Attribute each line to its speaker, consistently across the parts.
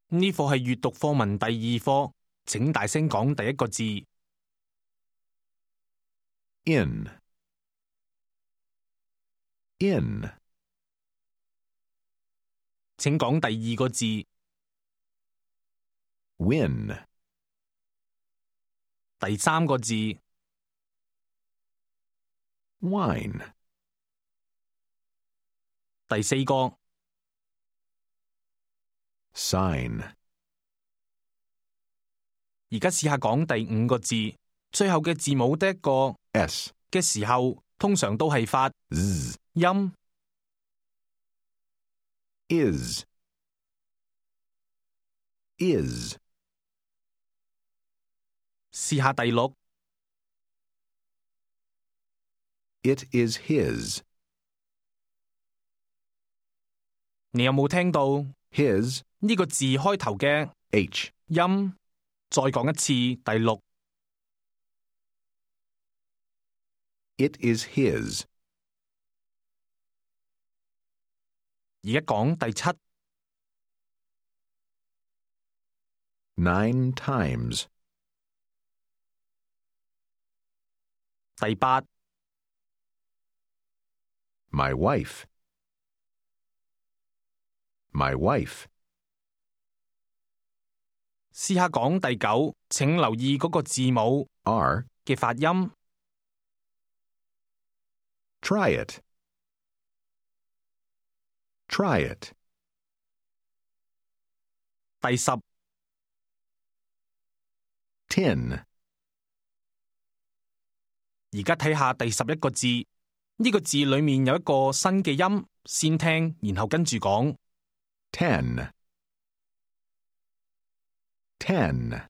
Speaker 1: 呢課係閱讀課文第2課，請大聲講第一個字。
Speaker 2: In. In.
Speaker 1: 請講第2個字。
Speaker 2: Win.
Speaker 1: 第3個字。
Speaker 2: Wine.
Speaker 1: 第4個。
Speaker 2: Sign.
Speaker 1: 而家試下講第5個字，最後嘅字母得一個
Speaker 2: S.
Speaker 1: 嘅時候，通常都係發
Speaker 2: Z.
Speaker 1: 音。
Speaker 2: Is. Is.
Speaker 1: 試下第6。
Speaker 2: It is his.
Speaker 1: 你有冇聽到
Speaker 2: His.
Speaker 1: 呢個字開頭嘅
Speaker 2: H.
Speaker 1: 音？再講一次第6。
Speaker 2: It is his.
Speaker 1: 而家講第7。
Speaker 2: 9 times.
Speaker 1: 第8。
Speaker 2: My wife. My wife.
Speaker 1: 試下講第9，請留意嗰個字母
Speaker 2: R.
Speaker 1: 嘅發音。
Speaker 2: Try it. Try it.
Speaker 1: 第10。
Speaker 2: Tin.
Speaker 1: 而家睇下第11個字，呢個字裏面有一個新嘅音，先聽，然後跟住講。
Speaker 2: 10. 10.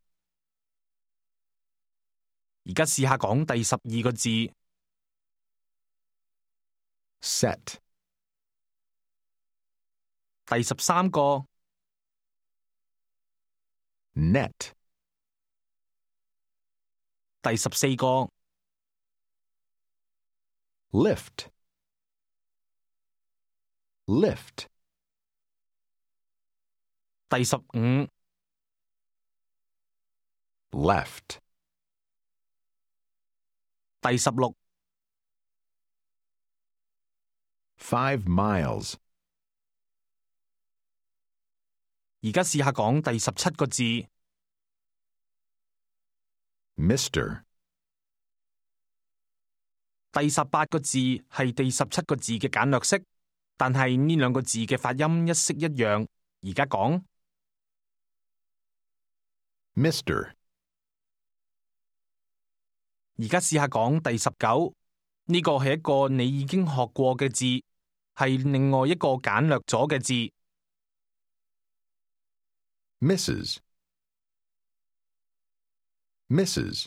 Speaker 1: 而家試下講第12個字。
Speaker 2: Set.
Speaker 1: 第13個。
Speaker 2: Net.
Speaker 1: 第14個。
Speaker 2: Lift. Lift.
Speaker 1: 第15。
Speaker 2: Left.
Speaker 1: 第16。
Speaker 2: 5 miles.
Speaker 1: 而家試下講第17個字。
Speaker 2: Mr.
Speaker 1: 第18個字係第17個字嘅簡略式，但係呢兩個字嘅發音一式一樣。而家講。
Speaker 2: Mr.
Speaker 1: 而家試下講第19，呢個係一個你已經學過嘅字，係另外一個簡略咗嘅字。
Speaker 2: Mrs. Mrs.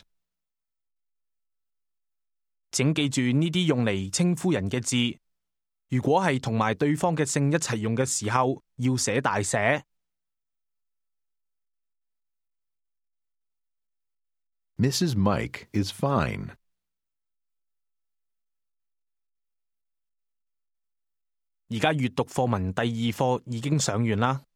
Speaker 1: 請記住呢啲用嚟稱呼人嘅字，如果係同埋對方嘅姓一齊用嘅時候，要寫大寫。
Speaker 2: Mrs. Mike is fine.
Speaker 1: 而家閱讀課文第2課已經上完啦。